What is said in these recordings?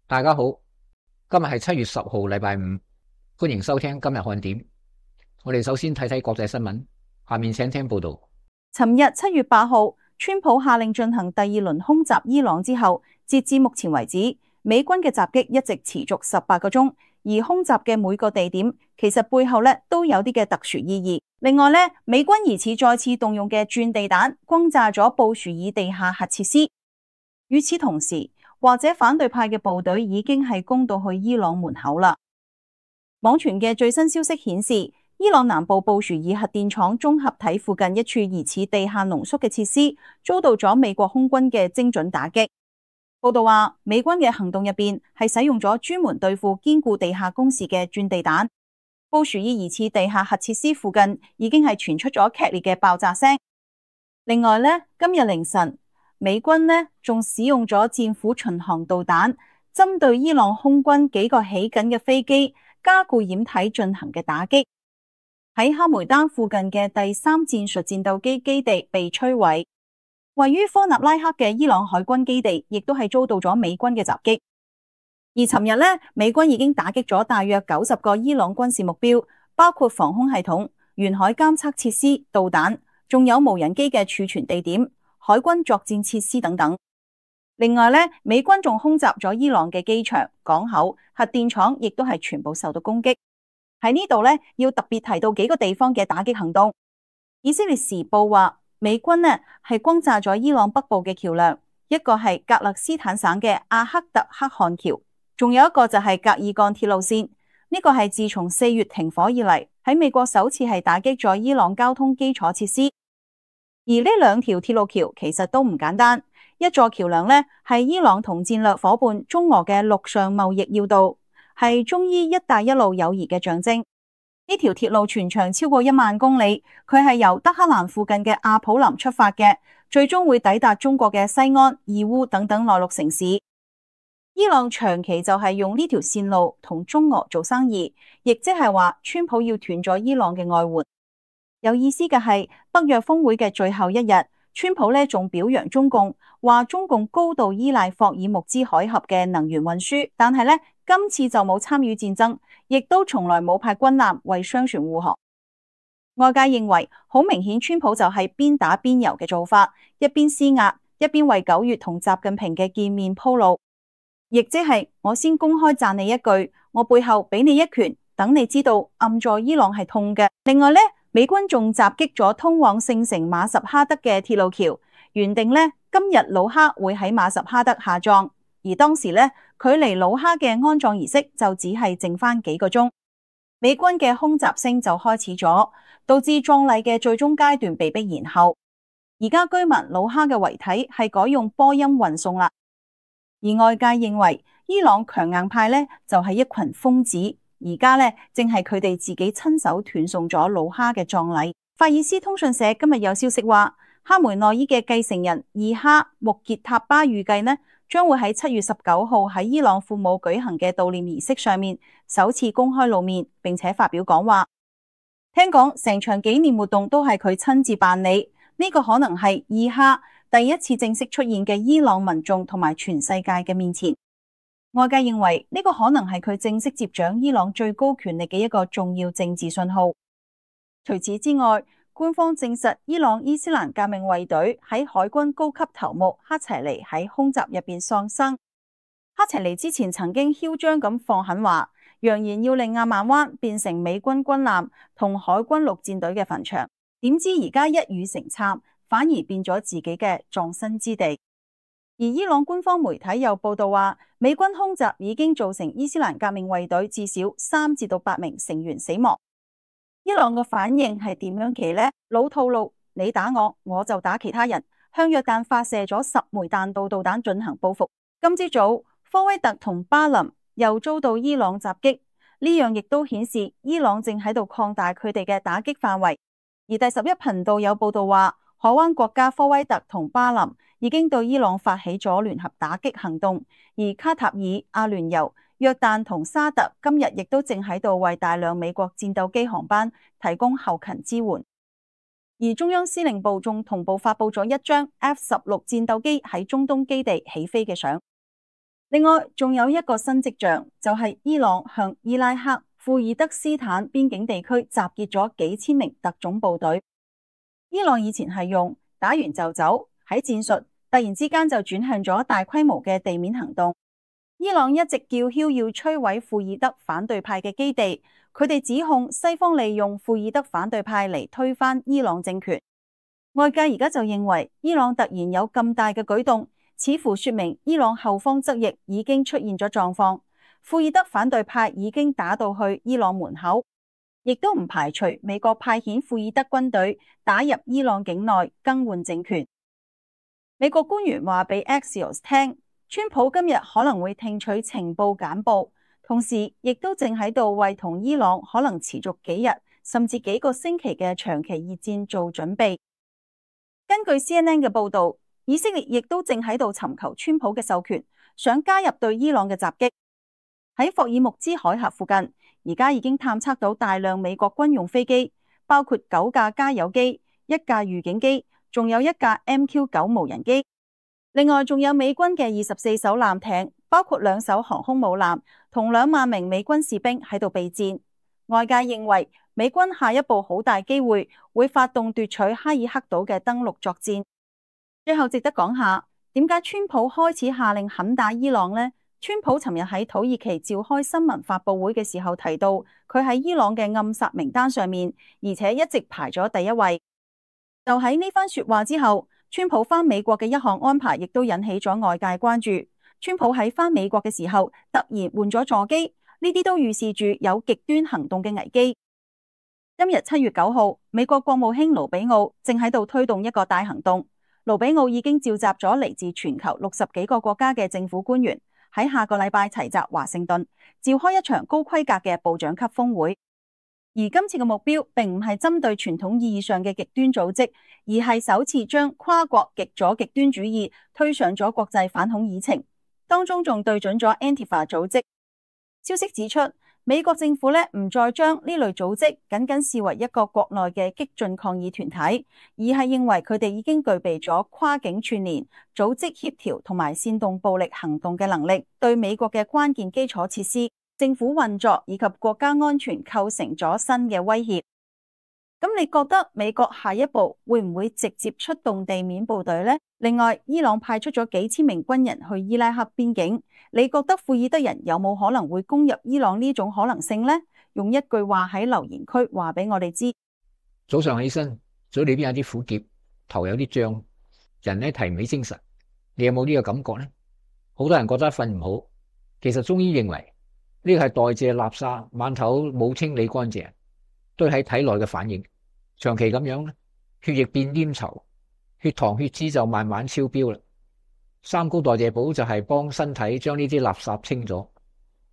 大家好，今日係7月10號，禮拜五，歡迎收聽今日看點。我哋首先睇睇國際新聞，下面請聽報道。尋日7月8號，川普下令進行第2輪空襲伊朗之後，截至目前為止，美軍嘅襲擊一直持續18個鐘，而空襲嘅每個地點其實背後都有啲嘅特殊意義。另外美軍疑似再次動用嘅鑽地彈轟炸咗布殊爾地下核設施。與此同時，或者反對派嘅部隊已經係攻到去伊朗門口啦。網傳嘅最新消息顯示，伊朗南部布殊爾核電廠綜合體附近一處疑似地下濃縮嘅設施遭到咗美國空軍嘅精準打擊。報道話，美軍嘅行動入邊係使用咗專門對付堅固地下工事嘅鑽地彈。布殊爾疑似地下核設施附近已經係傳出咗劇烈嘅爆炸聲。另外今日凌晨，美軍仲使用咗戰斧巡航導彈，針對伊朗空軍幾個起緊嘅飛機加固掩體進行嘅打擊。喺哈梅丹附近嘅第3戰術戰鬥機基地被摧毀，位於科納拉克嘅伊朗海軍基地亦都係遭到咗美軍嘅襲擊。而尋日美軍已經打擊咗大約90個伊朗軍事目標，包括防空系統、沿海監測設施、導彈，仲有無人機嘅儲存地點、海軍作戰設施等等。另外美軍仲空襲咗伊朗嘅機場、港口、核電廠，亦都係全部受到攻擊。喺呢度要特別提到幾個地方嘅打擊行動。以色列時報話，美軍係轟炸咗伊朗北部嘅橋樑，一個係格勒斯坦省嘅阿克特克汗橋，仲有一個就係格爾幹鐵路線。呢個係自從4月停火以嚟，喺美國首次係打擊咗伊朗交通基礎設施。而呢2條鐵路橋其實都唔簡單，一座橋樑係伊朗同戰略夥伴中俄嘅陸上貿易要道，係中伊一帶一路友誼嘅象徵。呢條鐵路全長超過1萬公里，佢係由德黑蘭附近嘅阿普林出發嘅，最終會抵達中國嘅西安、義烏等等內陸城市。伊朗長期就係用呢條線路同中俄做生意，亦即係話川普要斷咗伊朗嘅外援。有意思嘅係，北約峰會嘅最後一日，川普仲表揚中共，話中共高度依賴霍爾木茲海峽嘅能源運輸，但係今次就冇參與戰爭，亦都從來冇派軍艦為商船護航。外界認為好明顯，川普就係邊打邊遊嘅做法，一邊施壓，一邊為9月同習近平嘅見面鋪路，亦即係我先公開讚你一句，我背後俾你一拳，等你知道暗助伊朗係痛嘅。另外美軍仲襲擊咗通往聖城馬什哈德嘅鐵路橋，原定今日魯哈會喺馬什哈德下葬，而當時距離魯哈嘅安葬儀式就只係剩翻幾個鐘，美軍嘅空襲聲就開始咗，導致葬禮嘅最終階段被迫延後。而家居民魯哈嘅遺體係改用波音運送啦。而外界認為伊朗強硬派就係一群瘋子。而家正係佢哋自己親手斷送咗魯哈嘅葬禮。法爾斯通訊社今日有消息話，哈梅內伊嘅繼承人二哈穆傑塔巴預計將會喺7月19號喺伊朗父母舉行嘅悼念儀式上面首次公開露面，並且發表講話。聽講成場紀念活動都係佢親自辦理，呢個可能係二哈第一次正式出現嘅伊朗民眾同埋全世界嘅面前。外界認為呢個可能係佢正式接掌伊朗最高權力嘅一個重要政治信號。除此之外，官方證實伊朗伊斯蘭革命衛隊喺海軍高級頭目哈齊尼喺空襲入邊喪生。哈齊尼之前曾經囂張咁放狠話，揚言要令阿曼灣變成美軍軍艦同海軍陸戰隊嘅墳場，點知而家一語成讖，反而變咗自己嘅葬身之地。而伊朗官方媒體又報道話，美軍空襲已經造成伊斯蘭革命衛隊至少3至8名成員死亡。伊朗嘅反應係點樣嘅呢？老套路，你打我，我就打其他人，向約旦發射咗10枚彈道導彈進行報復。今朝早，科威特同巴林又遭到伊朗襲擊，呢樣亦都顯示伊朗正喺度擴大佢哋嘅打擊範圍。而第11頻道有報道話，海灣國家科威特同巴林已經對伊朗發起咗聯合打擊行動，而卡塔爾、阿聯酋、約旦同沙特今日亦都正喺度為大量美國戰鬥機航班提供後勤支援。而中央司令部仲同步發佈咗一張 F-16戰鬥機喺中東基地起飛嘅相。另外，仲有一個新跡象，就係伊朗向伊拉克庫爾德斯坦邊境地區集結咗幾千名特種部隊。伊朗以前係用打完就走，喺戰術突然之間就轉向咗大規模嘅地面行動。伊朗一直叫囂要摧毀庫爾德反對派嘅基地，佢哋指控西方利用庫爾德反對派嚟推翻伊朗政權。外界而家就認為伊朗突然有咁大嘅舉動，似乎說明伊朗後方側翼已經出現咗狀況，庫爾德反對派已經打到去伊朗門口，亦都唔排除美國派遣庫爾德軍隊打入伊朗境內更換政權。美國官員話俾 Axios 聽，川普今日可能會聽取情報簡報，同時亦都正喺度為同伊朗可能持續幾日甚至幾個星期嘅長期熱戰做準備。根據 CNN 嘅報導，以色列亦都正喺度尋求川普嘅授權，想加入對伊朗嘅襲擊。喺霍爾木茲海峽附近，而家已經探測到大量美國軍用飛機，包括9架加油機、1架預警機，仲有1架 MQ-9 無人機。另外仲有美軍嘅24艘艦艇，包括2艘航空母艦同2萬名美軍士兵喺度備戰。外界認為美軍下一步好大機會會發動奪取哈爾克島嘅登陸作戰。最後值得講下，點解川普開始下令狠打伊朗呢？川普尋日喺土耳其召開新聞發佈會嘅時候提到，佢喺伊朗嘅暗殺名單上面，而且一直排咗第1位。就喺呢番說話之後，川普返美國嘅一項安排亦都引起咗外界關注。川普喺返美國嘅時候突然換咗座機，呢啲都預示住有極端行動嘅危機。今日7月9號，美國國務卿盧比奧正喺度推動一個大行動。盧比奧已經召集咗嚟自全球60幾個國家嘅政府官員，喺下個禮拜齊集華盛頓，召開一場高規格嘅部長級峰會。而今次嘅目標並唔係針對傳統意義上嘅極端組織，而係首次將跨國極左極端主義推上咗國際反恐議程，當中仲對準咗 Antifa 組織。消息指出，美國政府唔再將呢類組織僅僅視為一個國內嘅激進抗議團體，而係認為佢哋已經具備咗跨境串聯、組織協調同埋煽動暴力行動嘅能力，對美國嘅關鍵基礎設施、政府運作以及國家安全構成咗新嘅威脅。咁你覺得美國下一步會唔會直接出動地面部隊呢？另外，伊朗派出咗幾千名軍人去伊拉克邊境，你覺得庫爾德人有冇可能會攻入伊朗呢種可能性呢？用一句話喺留言區話俾我哋知。早上起身，嘴裏邊有啲苦澀，頭有啲脹，人呢提唔起精神。你有冇呢個感覺呢？好多人覺得瞓唔好，其實中醫認為呢個係代謝垃圾晚頭冇清理乾淨，堆喺體內嘅反應。長期咁樣咧，血液變黏稠，血糖血脂就慢慢超標啦。三高代謝寶就係幫身體將呢啲垃圾清咗，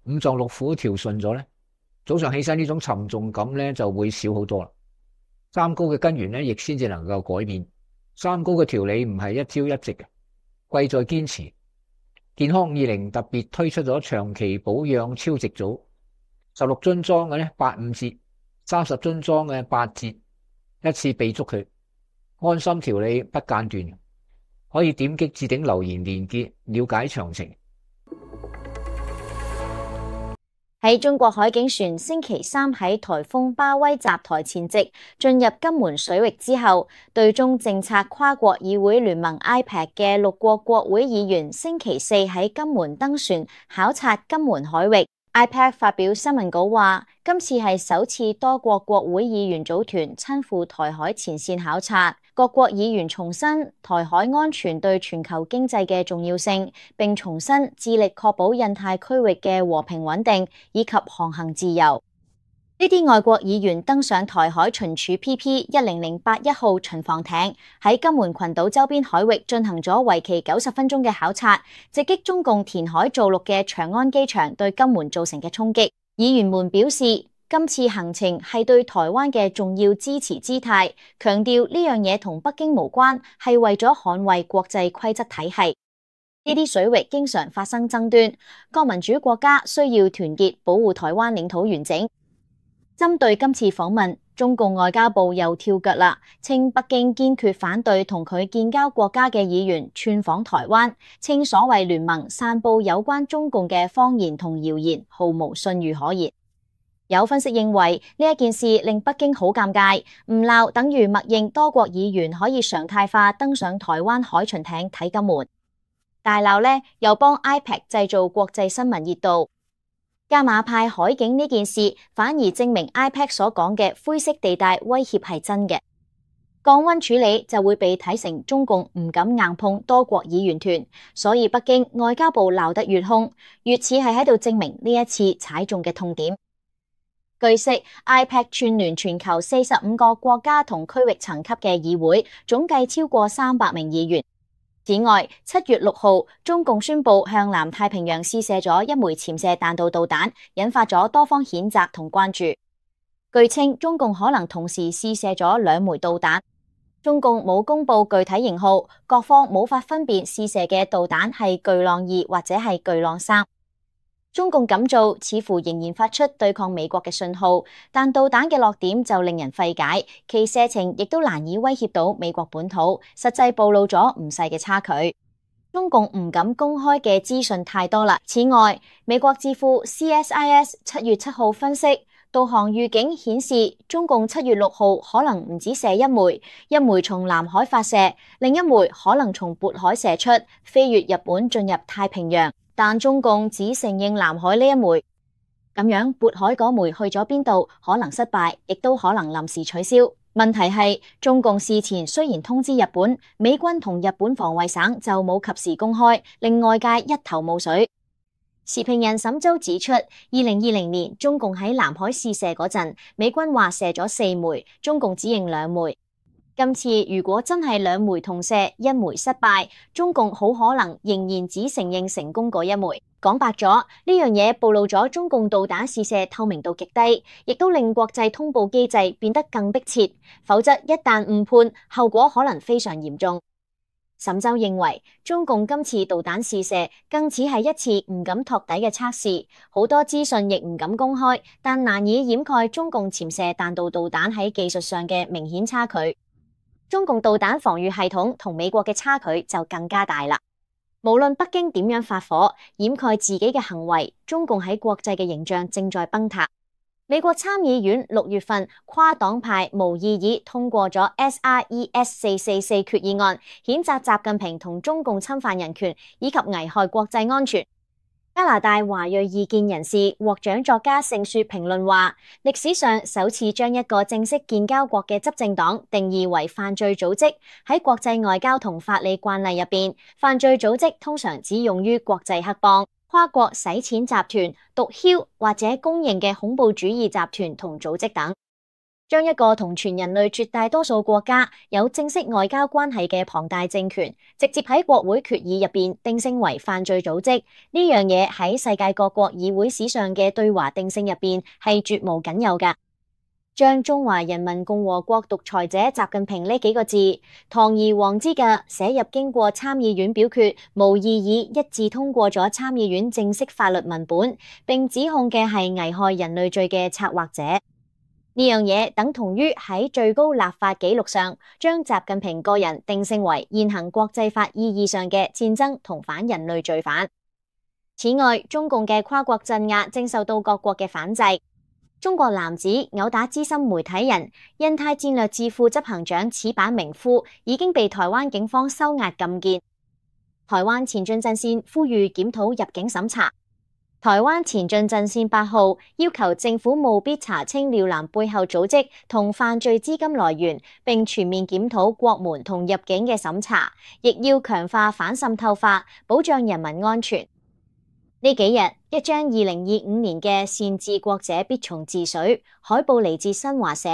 五臟六腑調順咗咧，早上起身呢種沉重感咧就會少好多啦。三高嘅根源咧亦先至能夠改變。三高嘅調理唔係一朝一夕嘅，貴在堅持。健康20特別推出咗長期保養超值組，16樽裝嘅咧85折，30樽裝嘅8折，一次備足佢，安心調理不間斷。可以點擊置頂留言連結了解詳情。喺中國海警船星期三喺颱風巴威襲台前夕進入金門水域之後，對中政策跨國議會聯盟 IPEC 嘅6國國會議員星期四喺金門登船考察金門海域。IPEC 發表新聞稿話，今次係首次多國國會議員組團親赴台海前線考察。各國議員重申台海安全對全球經濟嘅重要性，並重申致力確保印太區域嘅和平穩定以及航行自由。呢啲外國議員登上台海巡處 PP10081號巡防艇，喺金門群島周邊海域進行咗為期90分鐘嘅考察，直擊中共填海造陸嘅長安機場對金門造成嘅衝擊。議員們表示，今次行程係對台灣嘅重要支持姿態，強調呢樣嘢同北京無關，係為咗捍衛國際規則體系。呢啲水域經常發生爭端，各民主國家需要團結保護台灣領土完整。針對今次訪問，中共外交部又跳腳啦，稱北京堅決反對同佢建交國家嘅議員竄訪台灣，稱所謂聯盟散佈有關中共嘅謊言同謠言，毫無信譽可言。有分析認為呢一件事令北京好尷尬，唔鬧等於默認多國議員可以常態化登上台灣海巡艇睇金門，大鬧呢又幫 IPEC 製造國際新聞熱度。加碼派海警呢件事反而證明 IPEC 所講嘅灰色地帶威脅係真嘅，降溫處理就會被睇成中共唔敢硬碰多國議員團，所以北京外交部鬧得越兇，越似係喺度證明呢一次踩中嘅痛點。據悉 ，IPEC 串聯全球45個國家同區域層級嘅議會，總計超過300名議員。此外，7月6號，中共宣布向南太平洋試射咗一枚潛射彈道導彈，引發咗多方譴責同關注。據稱，中共可能同時試射咗2枚導彈。中共冇公布具體型號，各方無法分辨試射嘅導彈係巨浪2或者係巨浪3。中共咁做似乎仍然發出對抗美國嘅信號，但導彈嘅落點就令人費解，其射程亦都難以威脅到美國本土，實際暴露咗唔細嘅差距。中共唔敢公開嘅資訊太多啦。此外，美國智庫 CSIS 7月7號分析，導航預警顯示中共7月6號可能唔止射一枚，一枚從南海發射，另一枚可能從渤海射出，飛越日本進入太平洋。但中共只承認南海呢一枚，咁樣渤海嗰枚去咗邊度？可能失敗，亦都可能臨時取消。問題係中共事前雖然通知日本，美軍同日本防衛省就冇及時公開，令外界一頭霧水。時評人沈周指出，2020年中共喺南海試射嗰陣，美軍話射咗4枚，中共只認2枚。今次如果真係2枚同射，一枚失敗，中共好可能仍然只承認成功嗰一枚。講白咗，呢樣嘢暴露咗中共導彈試射透明度極低，亦都令國際通報機制變得更迫切。否則一旦誤判，後果可能非常嚴重。沈周認為，中共今次導彈試射更似係一次唔敢托底嘅測試，好多資訊亦唔敢公開，但難以掩蓋中共潛射彈道導彈喺技術上嘅明顯差距。中共導彈防禦系統同美國嘅差距就更加大啦。無論北京點樣發火掩蓋自己嘅行為，中共喺國際嘅形象正在崩塌。美國參議院6月份跨黨派無異議通過咗 SRES 444決議案，譴責習近平同中共侵犯人權以及危害國際安全。加拿大華裔異見人士獲獎作家盛雪評論話，歷史上首次將一個正式建交國嘅執政黨定義為犯罪組織。喺國際外交同法理慣例入邊，犯罪組織通常只用於國際黑幫、跨國洗錢集團、毒梟或者公認嘅恐怖主義集團同組織等。將一個同全人類絕大多數國家有正式外交關係嘅龐大政權，直接喺國會決議入邊定性為犯罪組織，呢樣嘢喺世界各國議會史上嘅對華定性入邊係絕無僅有㗎。將中華人民共和國獨裁者習近平呢幾個字堂而皇之嘅寫入經過參議院表決無異議一致通過咗參議院正式法律文本，並指控嘅係危害人類罪嘅策劃者。呢樣嘢等同於喺最高立法紀錄上，將習近平個人定性為現行國際法意義上嘅戰爭同反人類罪犯。此外，中共嘅跨國鎮壓正受到各國嘅反制。中國男子毆打資深媒體人、印太戰略智庫執行長矢板明夫已經被台灣警方收押禁見。台灣前進陣線呼籲檢討入境審查。台灣前進陣線8號要求政府務必查清廖南背後組織同犯罪資金來源，並全面檢討國門同入境嘅審查，亦要強化反滲透法，保障人民安全。呢幾日，一張2025年嘅善治國者必從治水海報嚟自新華社，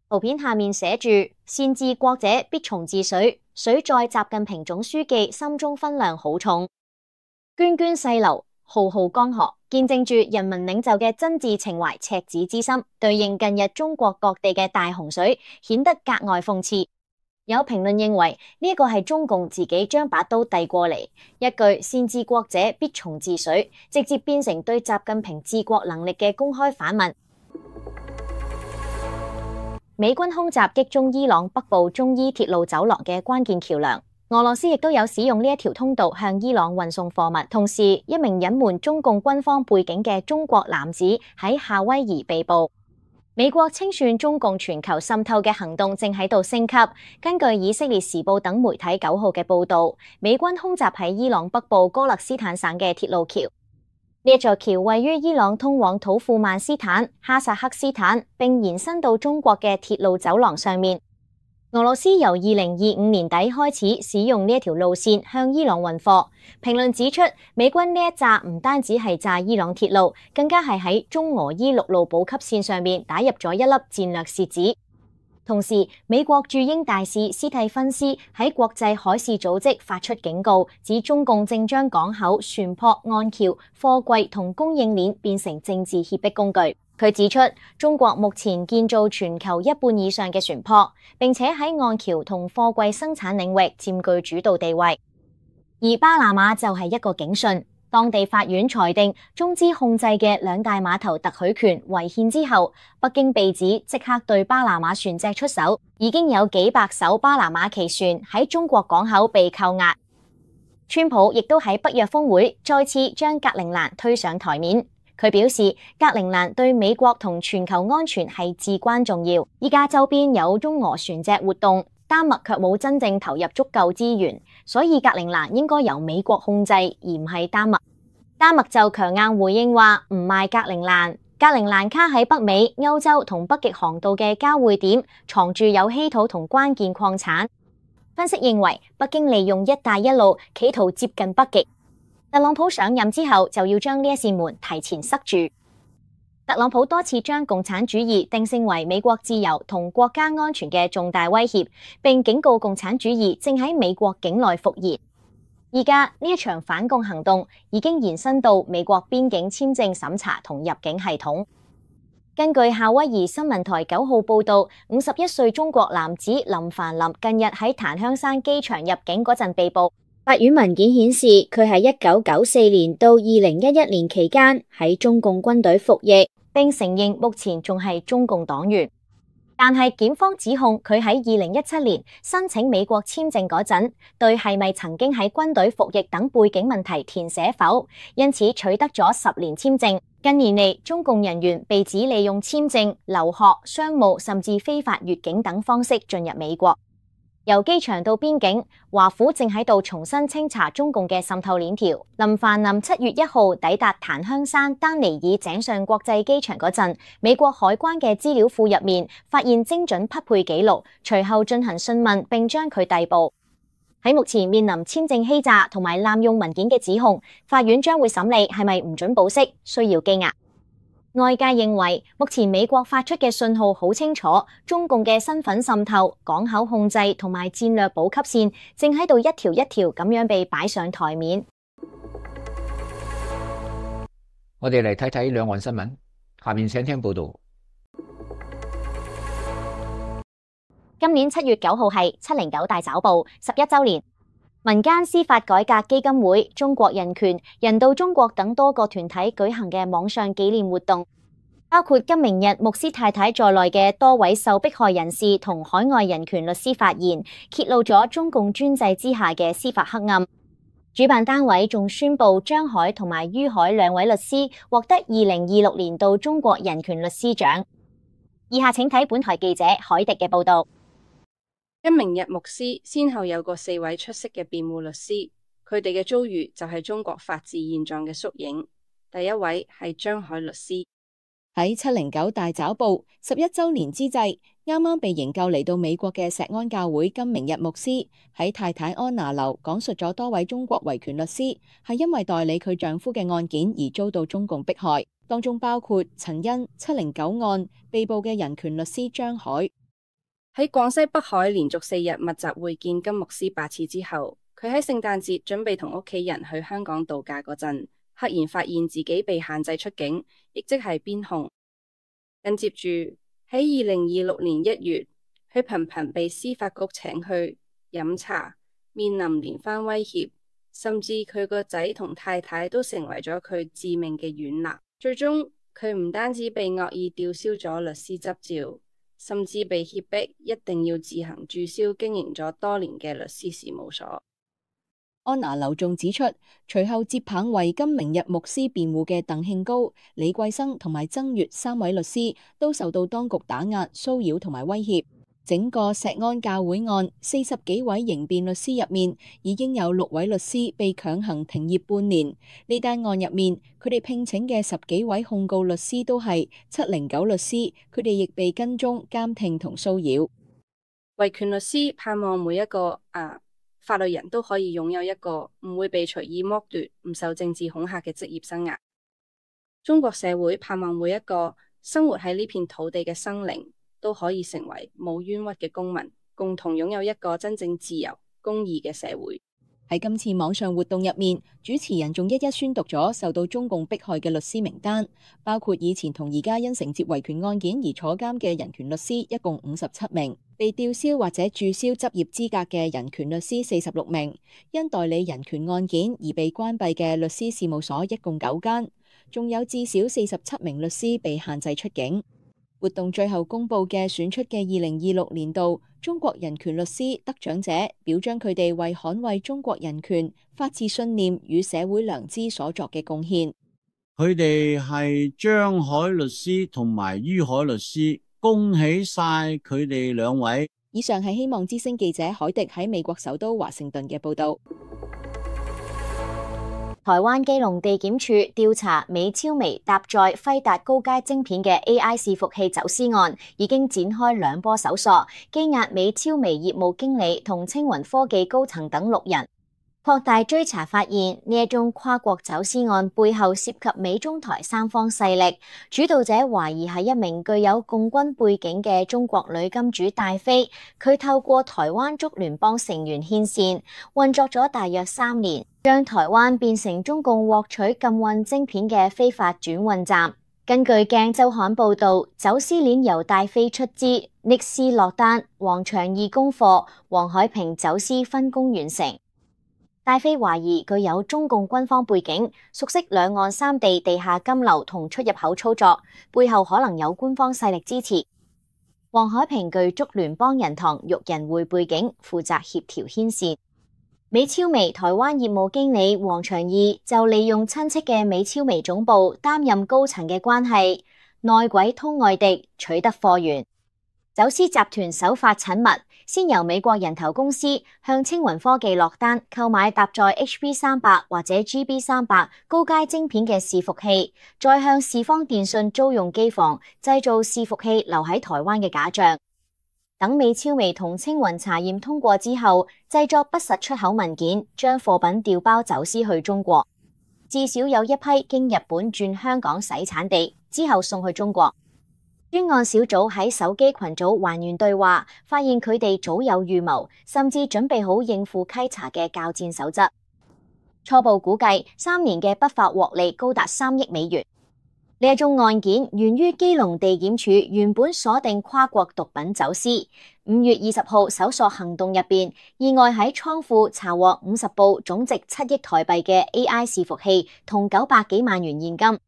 圖片下面寫住善治國者必從治水，水在習近平總書記心中分量好重，涓涓細流，浩浩江河，見證住人民領袖嘅真摯情懷、赤子之心，對應近日中國各地嘅大洪水，顯得格外諷刺。有評論認為呢個係中共自己將把刀遞過嚟，一句善治國者必從治水，直接變成對習近平治國能力嘅公開反問。美軍空襲擊中伊朗北部中伊鐵路走廊嘅關鍵橋樑。俄羅斯亦都有使用呢一條通道向伊朗運送貨物。同時，一名隱瞞中共軍方背景嘅中國男子喺夏威夷被捕。美國清算中共全球滲透嘅行動正喺度升級。根據以色列時報等媒體9號嘅報導，美軍空襲喺伊朗北部歌勒斯坦省嘅鐵路橋。呢一座橋位於伊朗通往土庫曼斯坦、哈薩克斯坦，並延伸到中國嘅鐵路走廊上面。俄羅斯由2025年底開始使用呢一條路線向伊朗運貨。評論指出，美軍呢一炸唔單止係炸伊朗鐵路，更加係喺中俄伊陸路補給線上面打入咗一粒戰略楔子。同時，美國駐英大使斯蒂芬斯喺國際海事組織發出警告，指中共正將港口、船舶、岸橋、貨櫃同供應鏈變成政治脅迫工具。佢指出，中國目前建造全球1半以上嘅船舶，並且喺岸橋同貨櫃生產領域佔據主導地位。而巴拿馬就係一個警訊，當地法院裁定中資控制嘅兩大碼頭特許權違憲之後，北京被指即刻對巴拿馬船隻出手，已經有幾百艘巴拿馬旗船喺中國港口被扣押。川普亦都喺北約峰會再次將格陵蘭推上台面。佢表示，格陵蘭對美國同全球安全係至關重要。依家周邊有中俄船隻活動，丹麥卻冇真正投入足夠資源，所以格陵蘭應該由美國控制，而唔係丹麥。丹麥就強硬回應話唔賣格陵蘭。格陵蘭卡喺北美、歐洲同北極航道嘅交匯點，藏住有稀土同關鍵礦產。分析認為，北京利用一帶一路企圖接近北極。特朗普上任之後就要將呢一扇門提前塞住。特朗普多次將共產主義定性為美國自由同國家安全嘅重大威脅，並警告共產主義正喺美國境內復燃。而家呢一場反共行動已經延伸到美國邊境簽證審查同入境系統。根據夏威夷新聞台9號報道，51歲中國男子林凡林近日喺檀香山機場入境嗰陣被捕。法院文件顯示，佢喺1994年到2011年期間喺中共軍隊服役，並承認目前仲係中共黨員。但係檢方指控佢喺2017年申請美國簽證嗰陣，對係咪曾經喺軍隊服役等背景問題填寫否，因此取得咗10年簽證。近年嚟，中共人員被指利用簽證、留學、商務甚至非法越境等方式進入美國。由機場到邊境，華府正喺度重新清查中共嘅滲透鏈條。林凡林7月1號抵達檀香山丹尼爾井上國際機場嗰陣，美國海關嘅資料庫入面發現精準匹配記錄，隨後進行訊問並將佢逮捕。喺目前面臨簽證欺詐同埋濫用文件嘅指控，法院將會審理係咪唔准保釋，需要羈押。外界認為，目前美國發出嘅信號好清楚，中共嘅身份滲透、港口控制同埋戰略補給線正喺度一條一條咁樣被擺上台面。我哋嚟睇睇兩岸新聞，下面請聽報道。今年7月9號係709大抓捕11週年。民間司法改革基金會、中國人權、人道中國等多個團體舉行嘅網上紀念活動，包括金明日牧師太太在內嘅多位受迫害人士同海外人權律師發言，揭露咗中共專制之下嘅司法黑暗。主辦單位仲宣布張海同埋于海兩位律師獲得2026年度中國人權律師獎。以下請睇本台記者海迪嘅報道。金明日牧師先後有過4位出色嘅辯護律師，佢哋嘅遭遇就係中國法治現狀嘅縮影。第一位係張海律師。喺709大抓捕11週年之際，啱啱被營救嚟到美國嘅石安教會金明日牧師喺太太安娜樓講述咗多位中國維權律師係因為代理佢丈夫嘅案件而遭到中共迫害，當中包括陳茵709案被捕嘅人權律師張海。喺廣西北海連續4日密集會見金牧師8次之後，佢喺聖誕節準備同屋企人去香港度假嗰陣，赫然發現自己被限制出境，亦即係邊控。緊接住喺2026年1月，佢頻頻被司法局請去飲茶，面臨連番威脅，甚至佢個仔同太太都成為咗佢致命嘅軟肋。最終佢唔單止被惡意吊銷咗律師執照，甚至被脅迫一定要自行註銷經營咗多年嘅律師事務所。安娜劉仲指出，隨後接棒為金明日牧師辯護嘅鄧慶高、李桂生同埋曾月3位律師都受到當局打壓、騷擾同埋威脅。整個石安教會案40幾位刑辯律師入面，已經有6位律師被強行停業半年。呢單案入面，佢哋聘請嘅10幾位控告律師都係709律師，佢哋亦被跟蹤、監聽同騷擾。維權律師盼望每一個法律人都可以擁有一個唔會被隨意剝奪、唔受政治恐嚇嘅職業生涯。中國社會盼望每一個生活喺呢片土地嘅生靈都可以成為冇冤屈嘅公民，共同擁有一個真正自由、公義嘅社會。喺今次網上活動入面，主持人仲一一宣讀咗受到中共迫害嘅律師名單，包括以前同而家因承接維權案件而坐監嘅人權律師一共57名，被吊銷或者註銷執業資格嘅人權律師46名，因代理人權案件而被關閉嘅律師事務所一共9間，仲有至少47名律師被限制出境。活動最後公布嘅選出嘅2026年度中國人權律師得獎者，表彰佢哋為捍衛中國人權、法治信念與社會良知所作嘅貢獻。佢哋係張海律師同埋于海律師，恭喜晒佢哋2位。以上係希望之聲記者海迪喺美國首都華盛頓嘅報道。台灣基隆地檢署調查美超微搭載輝達高階晶片嘅 AI 伺服器走私案，已經展開2波搜索，羈押美超微業務經理同青雲科技高層等6人。擴大追查發現，呢一宗跨國走私案背後涉及美中台3方勢力，主導者懷疑係一名具有共軍背景嘅中國女金主戴妃，佢透過台灣竹聯幫成員牽線，運作咗大約3年，將台灣變成中共獲取禁運晶片嘅非法轉運站。根據鏡週刊報導，走私鏈由戴妃出資，尼斯落單，黃長義供貨，黃海平走私分工完成。戴妃懷疑具有中共軍方背景，熟悉兩岸3地地下金流同出入口操作，背後可能有官方勢力支持。黃海平具竹聯幫人堂育人會背景，負責協調牽線。美超微台灣業務經理黃長義就利用親戚嘅美超微總部擔任高層嘅關係，內鬼通外敵，取得貨源。走私集團手法縝密，先由美國人頭公司向青雲科技落單購買搭載 HB300 或者 GB300 高階晶片嘅伺服器，再向視方電訊租用機房製造伺服器留喺台灣嘅假象。等美超微同青雲查驗通過之後，製作不實出口文件，將貨品調包走私去中國。至少有一批經日本轉香港洗產地，之後送去中國。專案小組喺手機群組還原對話，發現佢哋早有預謀，甚至準備好應付稽查嘅教戰守則。初步估計3年嘅不法獲利高達3億美元。呢一宗案件源於基隆地檢署原本鎖定跨國毒品走私，5月20號搜索行動入邊，意外喺倉庫查獲50部總值7億台幣嘅 AI 伺服器同900幾萬元現金。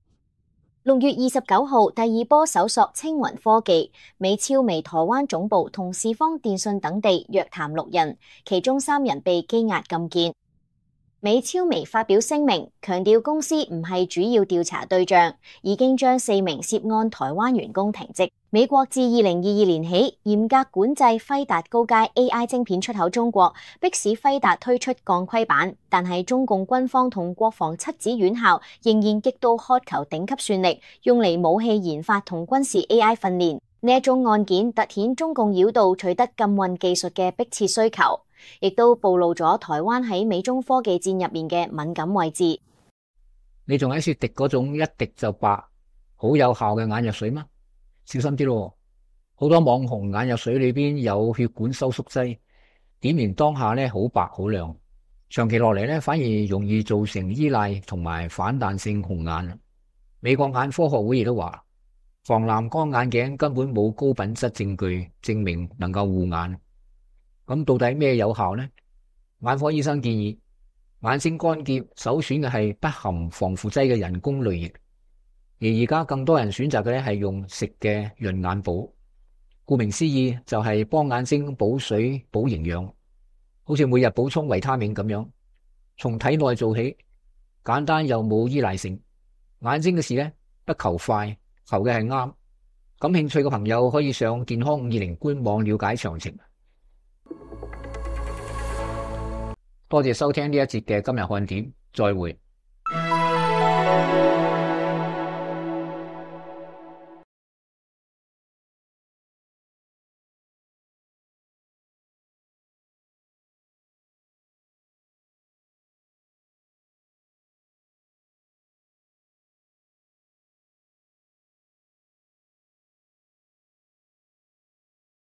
6月29號，第2波搜索青雲科技、美超微台灣總部同視方電訊等地，約談6人，其中3人被羈押禁見。美超微發表聲明，強調公司唔係主要調查對象，已經將4名涉案台灣員工停職。美國自2022年起嚴格管制輝達高階 AI 晶片出口中國，迫使輝達推出鋼盔版，但係中共軍方同國防七子院校仍然極度渴求頂級算力，用嚟武器研發同軍事 AI 訓練。呢一宗案件凸顯中共繞道取得禁運技術嘅迫切需求，亦都暴露咗台灣喺美中科技戰入面嘅敏感位置。你仲喺說滴嗰種一滴就白，好有效嘅眼藥水嗎？小心啲咯，好多網紅眼藥水裏邊有血管收縮劑，點完當下咧好白好亮，長期落嚟咧反而容易造成依賴同埋反彈性紅眼。美國眼科學會亦都話，防藍光眼鏡根本冇高品質證據證明能夠護眼。咁到底咩有效呢？眼科醫生建議，眼睛乾澀首選嘅係不含防腐劑嘅人工淚液。而家更多人選擇嘅咧係用食嘅潤眼寶。顧名思義就係幫眼睛補水補營養，好似每日補充維他命咁樣，從體內做起，簡單又冇依賴性。眼睛嘅事呢，不求快，求嘅係啱。感興趣嘅朋友可以上健康520官網了解詳情。多謝收聽呢一節嘅今日看點，再會。